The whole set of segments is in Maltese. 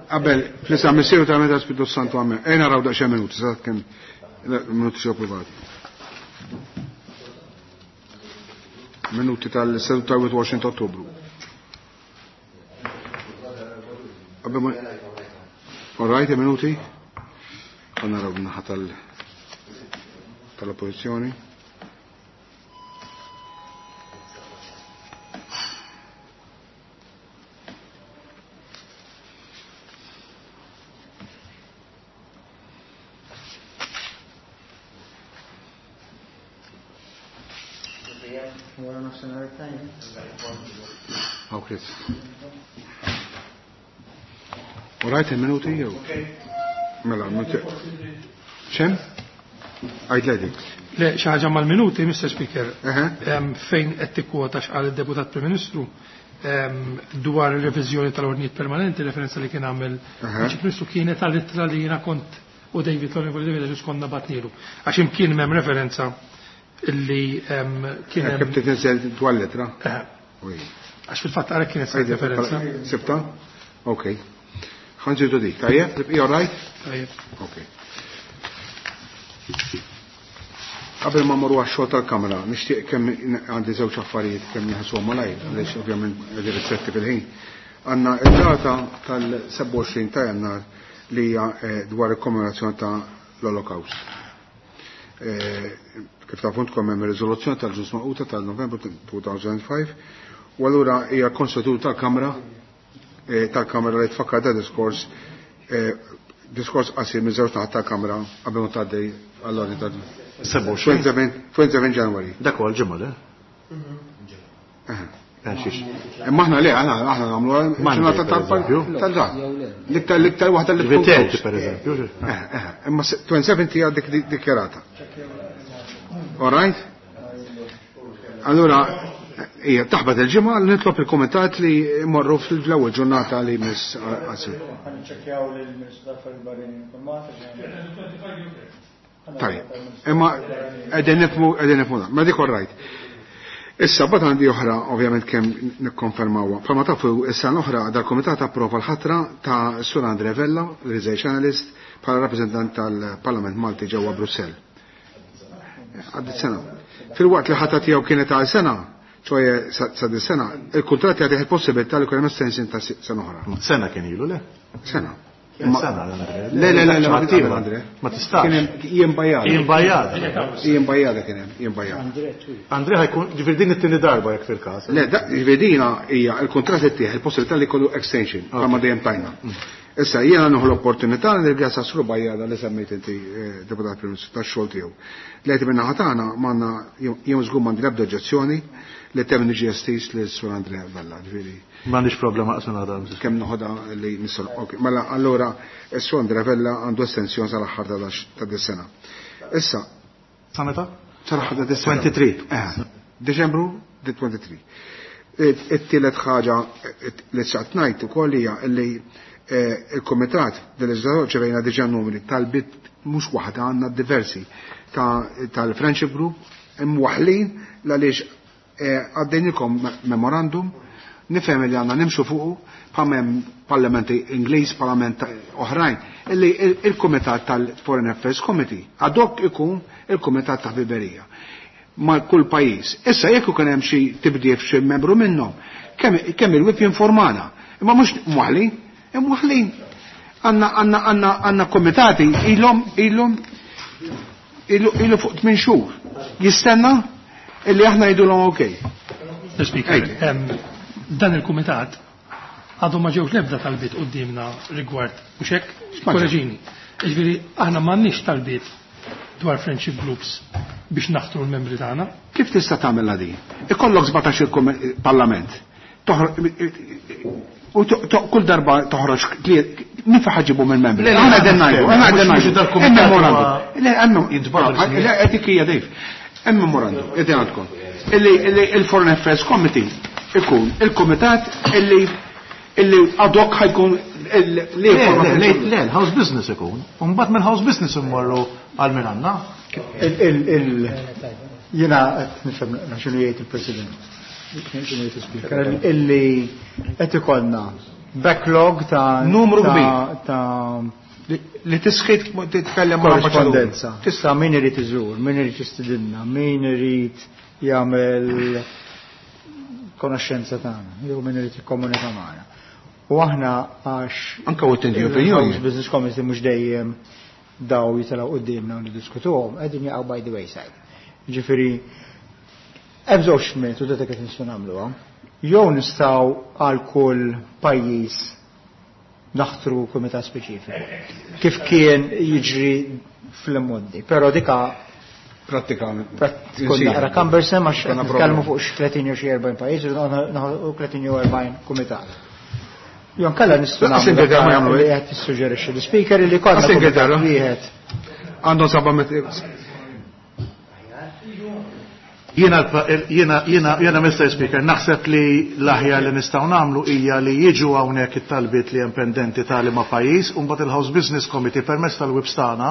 Qabel, fl-isem Missieru ta' Meta Spiritu Santu Amen. Ejna naraw daqsxejn minuti, sa kemm minuti xew privati. Minuti tal-seduta 21 ta' Ottubru. Qabel ma All right, minuti? Għanna naraw naħa tal-oppożizzjoni. Wara nofsinhar it-tajjeb. Hawn Chris. All right, minuti jew? Mela, minuti. ċem? Għajd dik. Le, xi ħaġa mal-minuti, Mr. Speaker, fejn qed tikkwota x'qal id-Deputat Prim Ministru dwar ir-reviżjoni tal-ordnijiet permanenti, referenza li kien għamel il-Prim Ministru kienet għall-ittra li jiena kont u David l-Onorevoli David Agius konna batnilu. Għax imkien m'hemm referenza illi kien hemm. Kif titniżel dwar l-ittra? Għax fil-fatt għalhekk kienet referenza. Sibta? Ok. Ħa nżidu dik. Tajjeb? Tibqi all right? Tajjeb. Ok. Qabel ma mmorru għax-xogħol tal-Kamra, nixtieq kemm għandi żewġ affarijiet kemm nieħsuhom malajr, għaliex ovvjament qegħdin ristretti fil-ħin. Għandna id-data tal-27 ta' Jannar li hija dwar il-kommemorazzjoni ta' l-Holocaust. Kif tafu intkom hemm riżoluzzjoni tal-Ġnus Magħquda tal-Novembru 2005, u allura hija konsuetudu tal-Kamra li tfakkar da diskors diskors qasir minn żewġ naħat tal-Kamra qabel ma tgħaddi għall-ordni ta' 27 January. Dak huwa l-ġimgħa, le? Imma aħna le, aħna nagħmlu ġurnata tal-dan. L-iktar waħda li tkun Ripeti, close. per eżempju. Imma 27 hija dikjarata. All right? Allura, hija taħbat il-ġimgħa li nitlob il-kumitat li jmorru fl-ewwel ġurnata li miss qasir. Ħaniċċekkjaw lill-Ministru tal-Affarijiet Barranin informat. Tajjeb. Imma qegħdin nifhmu, qegħdin nifhmu dan. Ma dik all right. Issa bad għandi oħra ovvjament kemm nikkonfermawha. Bħalma tafu issa l-oħra dal-kumitat approva l-ħatra ta' Sur Andre Vella, Research Analyst, bħala rappreżentant tal-Parlament Malti ġewwa Brussell. Għaddit sena. Fil-waqt li ħatra tiegħu kienet għal sena, ċoħe sa din sena, il-kuntratt jagħtih il-possibilità li jkun hemm extension ta' sena oħra. Sena kien ilu, le? Sena. Sena, Andre. Le, le, le, le, ma Ċaħat tistax, ieħor. Andre. Ma tistax. Kien hemm Ian Bajada. Ian Bajada. Ian Bajada kien hemm, Ian Bajada. Andre ħajkun, ġifieri din it-tieni darba jekk fil-każ. Le, da, ġifieri dina hija il-kuntratt ittieħ il-possibilità li jkollu extension, bħalma dejjem tajna. Issa jiena nieħu l-opportunità li nirringrazzja Sur Bajada li semmejt inti deputat Prim Ministru tax-xogħol tiegħu. Li qed minn naħa tagħna m'għandna jien żgur m'għandi l-ebda oġġezzjoni li temm niġi estis lil Sur Andre Vella, ġifieri. M'għandix problema qasma nagħda, Mrs. Kemm noħodha li nistgħu. Ok, mela allura s-Sur Andre Vella għandu estensjoni sal-aħħar ta' dis-sena. Issa. Sa meta? Sal-aħħar ta' dis-sena. 23. Deċembru 23. It-tielet ħaġa li saqt ngħid ukoll hija li il-Kumitat del-Leġislatur ċevejna diġà numri tal-bit mhux waħda għandna diversi tal-Friendship Group imwaħlin għaliex għaddejnikom memorandum nifhem li għandna nimxu fuqu bħal hemm parlamenti Ingliż, parlament oħrajn, illi il-Kumitat tal-Foreign Affairs Committee ad hoc ikun il-Kumitat ta' Ħbiberija ma' kull pajjiż. Issa jekk ikun hemm xi tibdil f'xi membru minnhom, kemm il-whip jinformana. Imma mhux mwaħlin, imwaħlin. Għandna komitati ilu fuq 8 xhur. Jistenna illi aħna jgħidulhom okej. Mr. Speaker, dan il-kumitat għadu ma ġewx l-ebda talbiet quddiemna rigward mhux hekk, X'ma ġew? korreġini. Jiġifieri aħna m'għandniex talbiet dwar friendship groups biex naħtru l-membri tagħna. Kif tista' tagħmilha din? Ikollok 17 il-parlament. U kull darba toħroġ min fa ħaġibu mill-membri? Le, le, Aħna le, qegħdin ngħidu, le, aħna qegħdin mhux ngħidu. dal-kumitat Hemm memorandum. huwa Le, hemm jintbagħtu l-ismijiet. le, qed hija dejf. Hemm memorandum, qegħdin għandkom. Illi il-Foreign Affairs Committee ikun il-kumitat illi ad hoc ħajkun li Le, jforma le, le, fil-ġurnal. le, l-house business ikun. U mbagħad mill-house business immorru għal min għandna. Jiena qed nifhem x'inhu jgħid il-President. X'inhu jgħid il-Speaker. Illi qed ikollna Backlog ta' Numru kbir. Ta' Li tisħit titkellem ma' korrispondenza. Tista' min irid iżur, min irid jistidinna, min irid jagħmel konoxxenza tagħna, jew min irid jikkomunika magħna. U aħna għax Anka u tinti opinjoni. Business Committee mhux dejjem daw jitilgħu quddiemna u niddiskutuhom, qegħdin jaqgħu by the wayside. Ġifieri hemm żewġ metodi ta' kif nistgħu nagħmluha. Jew nistgħu għal kull pajjiż naħtru kumitat speċifiku. Kif kien jiġri fl-immoddi. Però dika Prattika. tkun naqra cumbersome għax qed nitkellmu fuq xi 30 jew xi 40 pajjiż, u 30 jew 40 kumitat. Jew nkella nistgħu Lanqas Ingilterra ma jagħmlu li qed tissuġġerixxi l-speaker li konna Lanqas Ingilterra. wieħed. Għandhom saba metri. Jiena jiena jiena jiena Mr. Speaker, naħseb li l-aħjar li nistgħu nagħmlu hija li jiġu hawnhekk it-talbiet li hemm pendenti ta' liema pajjiż u mbagħad il-House Business Committee permezz tal-whips tagħna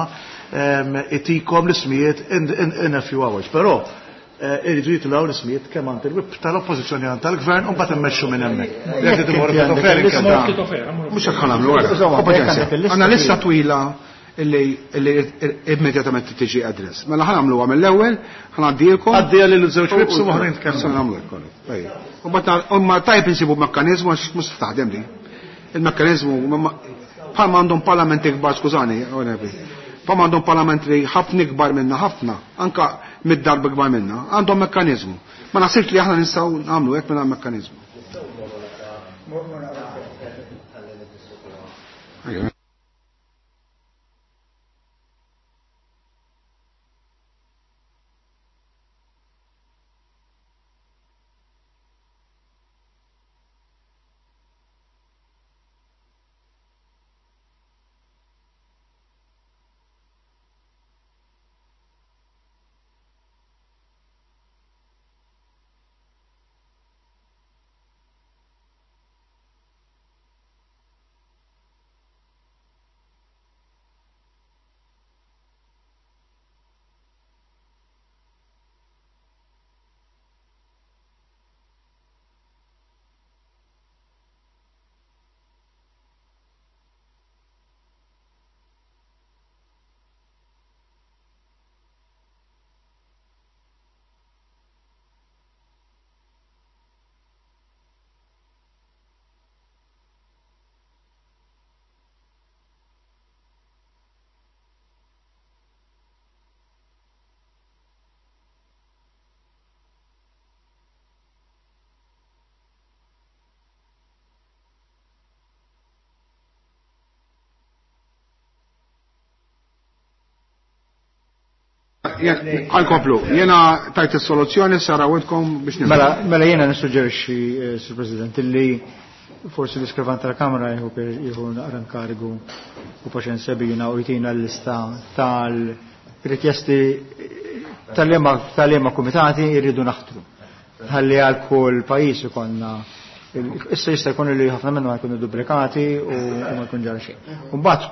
itikom l-ismijiet in a few hours. Però iridu jitilgħu l-ismijiet kemm għand il-whip tal-Oppożizzjoni għand tal-Gvern u mbagħad immexxu minn hemmhekk. Jekk trid imorru Jekk inti Kito Fer, għandek inkellmu. il-lista- Kito Fer, amur. Mhux hekk ħanamlu wara. Insomma, Paċenzja. jekk għandek il-lista Għandna lista twila. twila illi immedjatament tiġi address. Mela ħanamluha mill-ewwel, ħanaddielkom. Għaddija lil żewġ whips u oħrajn tkellmu. Issa nagħmlu hekk kollu. Ejja. U mbagħad ma tajb insibu mekkaniżmu għax mhux taħdem li. Il-mekkaniżmu bħalma għandhom parlamenti kbar, skużani, bħalma għandhom parlament li ħafna ikbar minna, ħafna, anka mid-darba ikbar minna, għandhom mekkaniżmu. Ma naħsibx li aħna nistgħu nagħmlu hekk mingħajr mekkaniżmu. Ejja. Għal-komplu, jena tajt il-soluzzjoni, sarawitkom biex nifhem. Mela jiena nissuġġerixxi, Sur President, illi forsi l-iskrivan tal-Kamra jieħu naqra nkarigu u paċenzja bina u jtina l-lista tal-rikjesti tal-liema kumitati jridu naħtru. Ħalli għal kull pajjiż ikollna issa jista' jkun li ħafna minnhom jkunu duplikati u ma jkun ġara xejn. U mbagħad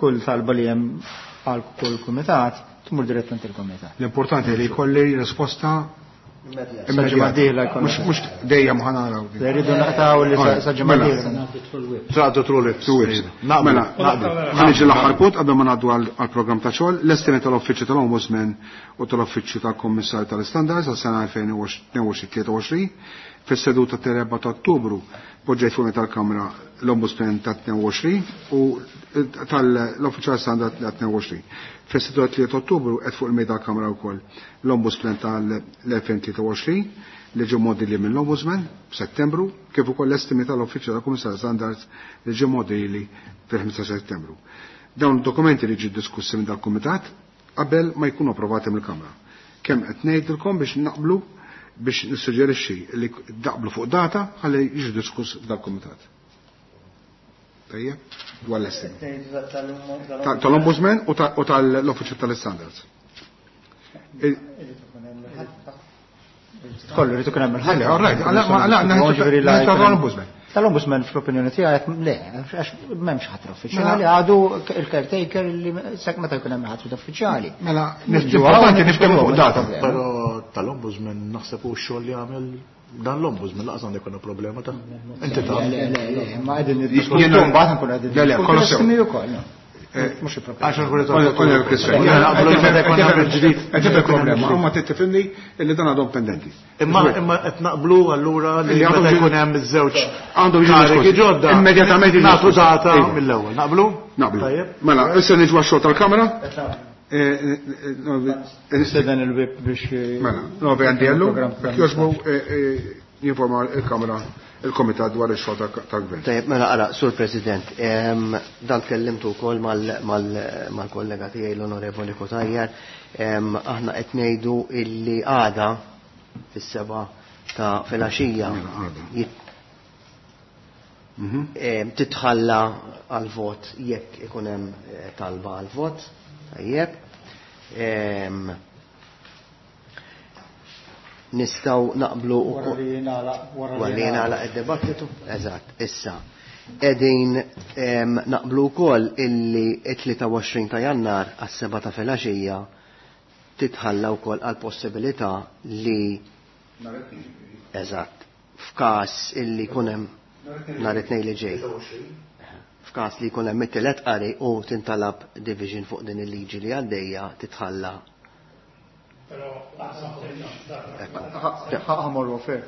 kull talba li hemm għal kull kumitat tmur direttament il-kumitat. L-importanti li jkolli risposta Sa ġimgħa d-dieħla jkollna. Mhux dejjem ħanaraw. Li rridu naqtaw li sa ġimgħa Mela. d-dieħla. Traqdu true lips. Two whips. Naqbel, Mela, naqbel. ħaniġi l-aħħar punt qabel ma ngħaddu għall-programm ta' xogħol, l-estimi tal-Uffiċċju tal-Ombudsman u tal-Uffiċċju tal-Kummissarju tal-Istandards għas-sena 2022-23 fis-seduta tal-4 ta' Ottubru poġġejt fuq tal-Kamra l-Ombudsman ta' 22 u tal-Uffiċċju tal-Standard ta' 22. Fis-seduta 3 Ottubru qed fuq il-mejda tal-Kamra wkoll l-Ombudsman tal-2023 li ġew modili mill-Ombudsman f'Settembru, kif ukoll l-estimi tal-Uffiċċju tal-Kummissarju Standards li ġew modili fil-5 Settembru. Dawn id-dokumenti li ġi diskussi minn dal-Kumitat qabel ma jkunu approvati mill-Kamra. Kemm qed ngħidilkom biex naqblu biex nissuġġerixxi li daqblu fuq data ħalli jiġu diskuss dal-Kumitat. Tajjeb, dwar l-estimi. Tal-Ombudsman u tal-Uffiċċju tal-Standards. Kollu rridu ikun hemm il-ħadd. All right, tal-Ombudsman. Tal-Ombudsman fl-opinjoni tiegħek le, għax m'hemmx ħatra uffiċjali, għadu il-caretaker li sekk meta jkun hemm ħatra uffiċjali. Mela, importanti niftehmu fuq data. Però tal-Ombudsman naħseb hu x-xogħol li għamel dan l-Ombudsman laqas għandu jkollna problema ta' inti taf. Le, le, le, ma qegħdin niddiskutu mbagħad nkunu qegħdin. Le, le, kollox sew. Estimi wkoll. Mhux il-problema. Għax nkunu Kollha kwestjoni. Jiena naqblu li meta jkun hemm il-ġdid. Qed tifhem problema, imma trid tifhimni illi dan għadhom pendenti. Imma imma qed naqblu allura li Li għandhom meta ġi- jkun hemm iż-żewġ Għandhom jiġu karigi diskussi. ġodda. Immedjatament jiġu nagħtu diskussi. data Iva. mill-ewwel. Naqblu? Naqblu. Tajjeb. Mela, issa niġu għax-xogħol tal-Kamra. Nistieden il-whip biex Mela, Novi Andiello, il-programm jekk jogħġbu jinforma il-Kamra il-Komitat dwar ix-xogħol tal-Gvern. Tajjeb, mela ara, Sur President, dan tkellimtu wkoll mal-kollega tiegħi l-Onorevoli Cutajar, aħna qed ngħidu illi għada fis-7 ta' filgħaxija Mela, għada. titħalla għal-vot jekk ikun hemm talba għal-vot, tajjeb. Nistgħu naqblu Wara li jingħalaq wara li jingħalaq id-dibattitu, eżatt, issa. Qegħdin naqblu wkoll illi t-23 ta' Jannar għas-7 ta' filgħaxija titħalla wkoll għal possibilità li eżatt, f'każ illi jkun hemm nhar it-tnejn li ġej. F'każ li jkun hemm it-tielet qari u tintalab division fuq din il-liġi li għaddejja titħalla. Ħamorru fair.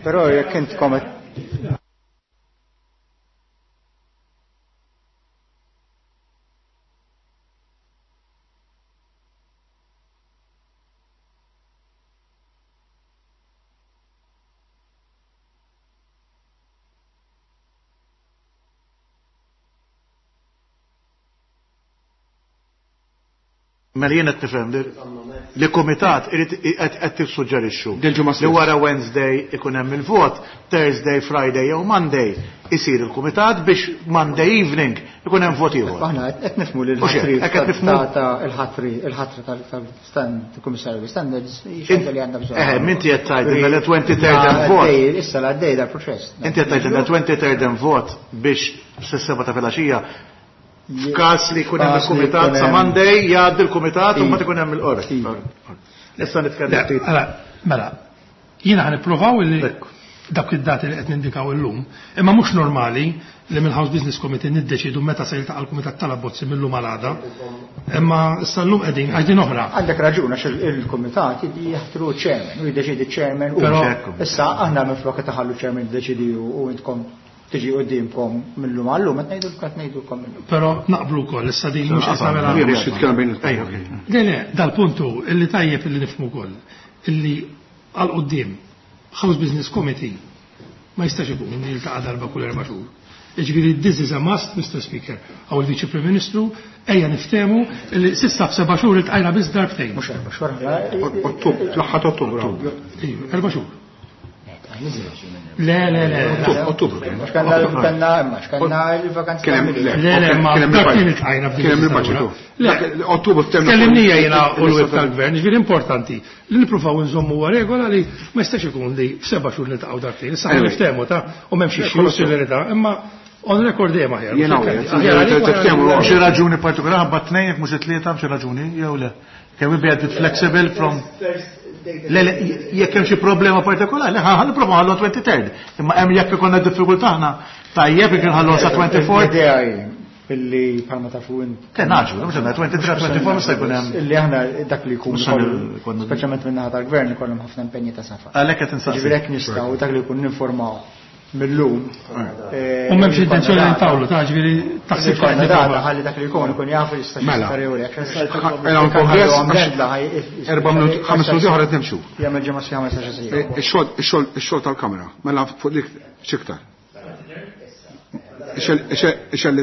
Però jekk intkom qed Mela jien qed nifhem li kumitat irid qed tissuġġerixxu Dil-ġimgħa li stess. wara Wednesday ikun hemm il-vot, Thursday, Friday jew Monday isir il-kumitat biex Monday evening ikun hemm vot ieħor. Aħna qed nifhmu li U xejn, l-ħatri hekk qed nifhmu. ta' il-ħatri il-ħatra tal-Kummissarju Standards hi xi ħaġa li għandha bżonn. Minti qed tgħidilna li 23rd hemm vot. Issa l-għaddej dal-proċess. Inti qed tgħidilna 23rd hemm vot biex s-seba ta' filgħaxija f'każ li jkun hemm F'każ li il-kumitat jkun sa hemm- Monday jgħaddi l-kumitat u Iva. mbagħad ikun hemm il-qorti. Iva. Issa nitkellem Le, ftit. Mela, mela, jiena ħan nipprovaw illi Ekku. dawk id-dati li qed nindikaw illum, imma mhux normali li mill-House Business Committee niddeċidu meta se jiltaqa' l-Kumitat tal-Abbozzi millum għal għada. Imma issa llum qegħdin għax din oħra. Għandek raġun għax il-kumitat jaħtru chairman u jiddeċidi chairman u Però- issa aħna minflok qed taħallu chairman jiddeċidi u intkom tiġi qudiemkom millum għallum qed ngħidu qed ngħidulkom millum. Però naqblu wkoll issa din mhux qed nagħmel Mhux titkellem bejn Ejja, okej. Le, le, dal-puntu illi tajjeb illi nifhmu wkoll illi għal quddiem House Business Committee ma jistax ikun li jiltaqa' darba kull 4 xhur. Jiġifieri this is a must, Mr. Speaker, għaw il-Viċi Prim Ministru, ejja niftehmu li s'issa f'seba' xhur iltqajna biss darbtejn. Mhux 4 xhur. Ottubru, l-aħħar ta' Ottubru. Iva, 4 xhur. Le, le, le. le. Ottubru kien. X'kanna kanna imma x'kanna il-vakanzi Kien hemm tal-Milied. Le, le, ma kien hemm darbtejn il-budget. iltqajna f'din Kien hemm il-leġislatura. il-budget. Le. Dak Ottubru ftemna. Tkellimnija jiena u l-web tal-gvern, ġifieri importanti li nippruvaw nżommu huwa regola li ma jistax ikun li f'seba' xhur niltaqgħu darbtejn. Issa Anyway. niftehmu ta' u m'hemmx issues fil-verità, imma on record dejjem aħjar. Jiena Mhux u, hekk, aħjar għalik u aħjar tiftehmu għalik. Xi raġuni partikolari ħabba tnejn jekk mhux it-tlieta xi raġuni jew le. Can we be a bit flexible from Le, le, jekk hemm xi problema partikolari, ħa nipprova ħallu 23rd. Imma hemm jekk ikollna diffikultà aħna tajjeb jekk inħallu sa 24. L-idea hi illi bħalma tafu int. Kien naġlu, mhux għandna 23, 24 mhux se jkun hemm. Illi aħna dak li jkun Mhux se jkun- speċjalment minn naħa tal-gvern ikollhom ħafna impenji ta' safar. Għalhekk qed insaqsi. Ġifieri hekk nistgħu dak li jkun ninformaw Millum. U m'hemmx intenzjoni li ntawlu, ta' ġifieri taħseb Ikollna data ħalli dak li jkun ikun jaf jista' Mela. xi jew le. Mela, kongress, 4 minuti, 5 minuti oħra qed nimxu. Jagħmel ġimgħa sħiħa ma jistax isir. Ix-xogħol tal-kamera, mela fuq dik x'iktar. Ix-xogħol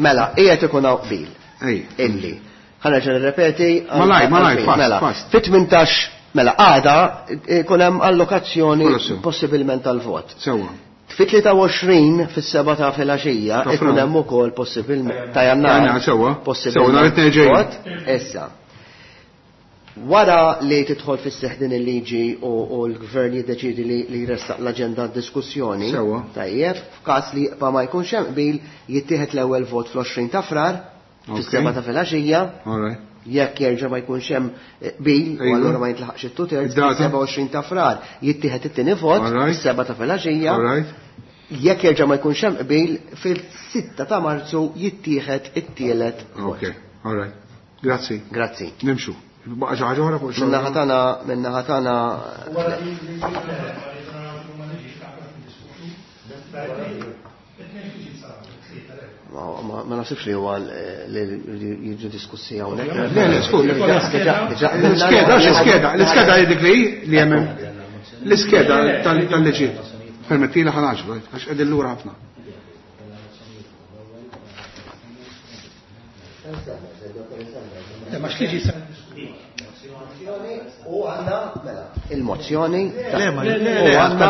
Mela, qiegħed ikun hawn qbil. Ej. Illi. Ħa nerġa' nirrepeti. Malaj, malaj, fast, Mela, fast. Fit-18 mela għada ikun hemm allokazzjoni Kollu sew. possibilment tal-vot. Sewwa. Fit-23 fis-7 ta' filgħaxija ikun hemm ukoll possibilment ta' Jannar. Sewwa. Sewwa nhar it-Tnejn ġej. Issa. Wara li tidħol fis-seħħ din il-liġi u l-Gvern jiddeċiedi li jressaq l-aġenda għad-diskussjoni, tajjeb, f'każ li jibqa' ma jkunx hemm qbil, jittieħed l-ewwel vot fl-20 ta' Frar, fis-7 ta' filgħaxija. Jekk jerġa' ma jkunx hemm qbil, u allura ma jintlaħaqx it-two thirds, fis-27 ta' Frar jittieħed it-tieni vot, fis-7 ta' filgħaxija. Jekk jerġa' ma jkunx hemm qbil, fil-6 ta' Marzu jittieħed it-tielet vot. Okay, all right. Grazzi. Grazzi. Nimxu. Baqa' xi ħaġa oħra fuq xogħol. Min-naħa tagħna, min-naħa tagħna. Ma naħsibx li huwa li jiġu diskussi hawnhekk. Le, le, skur. L-iskeda, l-iskeda, l-iskeda li dik li li hemm l-iskeda tal-liġi. Permettili ħa naġlu, għax qegħdin lura ħafna. Ma x'liġi sa U għandna mela il-mozzjoni. Le, ma le, le, għandna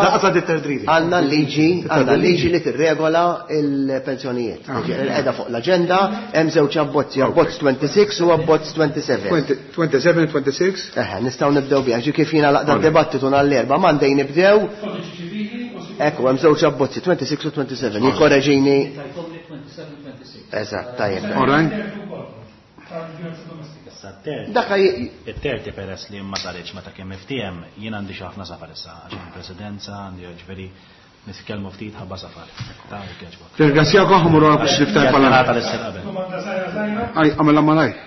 għandna liġi, għandna liġi li tirregola il-pensjonijiet. Qiegħda fuq l-aġenda, hemm żewġ abbozzi, abbozz 26 u abbozz 27. 27, 26? Eħe, nistgħu nibdew biha. Ġi kif jiena laqda d-dibattitu nhar l-Erbgħa, Monday nibdew. Ekku, hemm żewġ abbozzi, 26 u 27. Jikkoreġini. Eżatt, tajjeb. All right. Dak It-terti peress li ma saritx meta kien miftiehem, jien għandi xi ħafna safar issa, għax hemm presidenza, għandi ġifieri nitkellmu ftit ħabba safar. Ta' jekk jogħġbok. Nirringrazzjakom, ħa mmur għal xi niftaħ il-Parlament. Ġurnata l-istil qabel. Domanda żgħira żgħira. Aj, għamilha malajr.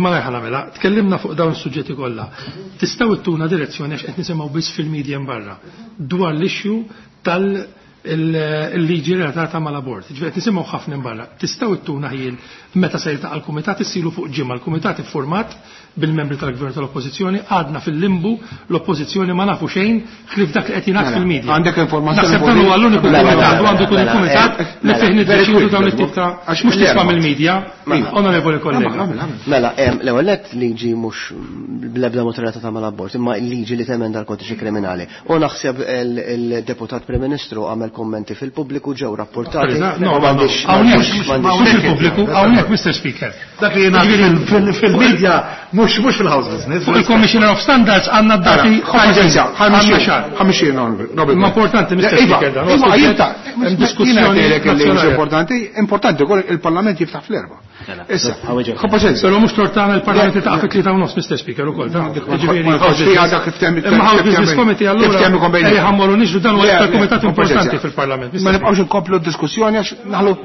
Malajr ħa nagħmilha. Tkellimna fuq dawn is-suġġetti kollha. Tistgħu ittuna direzzjoni għax qed nisimgħu biss fil-media barra dwar l-issue tal- il-liġi relatata mal-abort. Ġifieri qed nisimgħu ħafna barra. Tistgħu ittuna ħiel meta se jiltaqa' l-kumitat issilu fuq ġimgħa. L-kumitat iffurmat bil-membri tal-gvern tal-oppożizzjoni, għadna fil-limbu, l-oppożizzjoni ma nafu xejn ħlief dak li qed jingħad fil-media. Għandek informazzjoni Naħseb dan huwa l-uniku kumitat u għandu jkun il-kumitat li fih niddeċidu dawn it-tip ta' għax mhux tisma' mill-media, onorevoli kollega. Mela, l-ewwel nett liġi mhux bl-ebda mod relatata mal-abort, imma liġi li temenda l-kodiċi kriminali. U naħseb il-deputat Prim Ministru għamel kommenti fil-pubbliku ġew rapportati. No, hawnhekk mhux fil-pubbliku, hawnhekk Mr. Speaker. Dak li jingħad fil-media mhux fil-house business. Fuq il-Commissioner of Standards għandna d-dati ħamixin, Ma importanti, Mr. Speaker, dan. Imma jinta, diskussjoni importanti, importanti wkoll il-Parlament jiftaħ fl-erba. Issa, ħabba Però mhux tortana il-Parlament ta' fit 3:30, Mr. Speaker, ukoll. Imma House Business Committee allura ejja ħammorru niġru dan huwa iktar kumitat importanti fil-Parlament. Ma nibqgħux inkomplu d-diskussjoni għax naħlu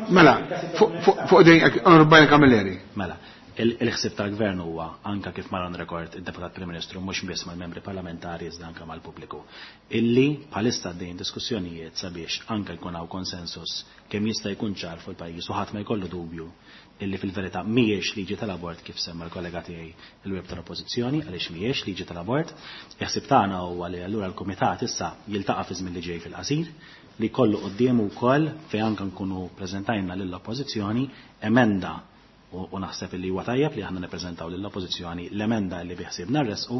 mela fuq dejn Onorevoli Camilleri. Mela, il-ħsieb tal-gvern huwa anka kif mar on record id-Deputat Prim Ministru mhux biss mal-membri parlamentari iżda anka mal-pubbliku. Illi bħalissa għaddejjin diskussjonijiet sabiex anka jkun hawn konsensus kemm jista' jkun ċar fuq il-pajjiż u ħadd ma jkollu dubju illi fil-verità mhijiex liġi tal-abort kif semma l-kollega tiegħi il-web tal-Oppożizzjoni għaliex mhijiex liġi tal-abort. Il-ħsieb tagħna huwa li allura l-Kumitat issa jiltaqa' fi żmien li ġej fil-qasir li kollu quddiemu wkoll fejn anke nkunu preżentajna lill-Oppożizzjoni emenda u naħseb li huwa tajjeb li aħna nippreżentaw lill-Oppożizzjoni l-emenda li biħsiebna nressqu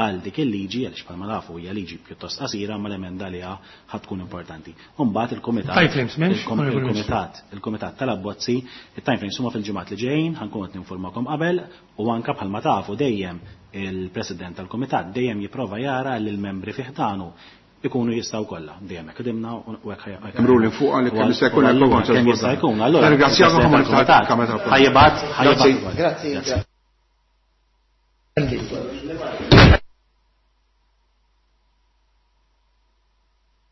għal dik il-liġi għaliex bħalma nafu hija liġi pjuttost qasira ma l-emenda li ħad tkun importanti. U mbagħad il-kumitat Time frames, m'hemmx? il-kumitat tal-abbozzi, il-time frames huma fil-ġimgħat li ġejjin, ħankun qed ninformakom qabel u anke bħalma tafu dejjem il-President tal-Kumitat dejjem jipprova jara li l-membri fih tagħnu ikunu jistaw kollha, dejjem hekk qdimna u hekk ħaj- Hemm ruling fuq għal kemm jista' jkun hemm Allura, kemm jista' jkun, allura. Ringrazzjakom ħafna Il-President tal-Kamra. Ħajjibat, ħajjibat. Grazzi. Grazzi. Grazzi.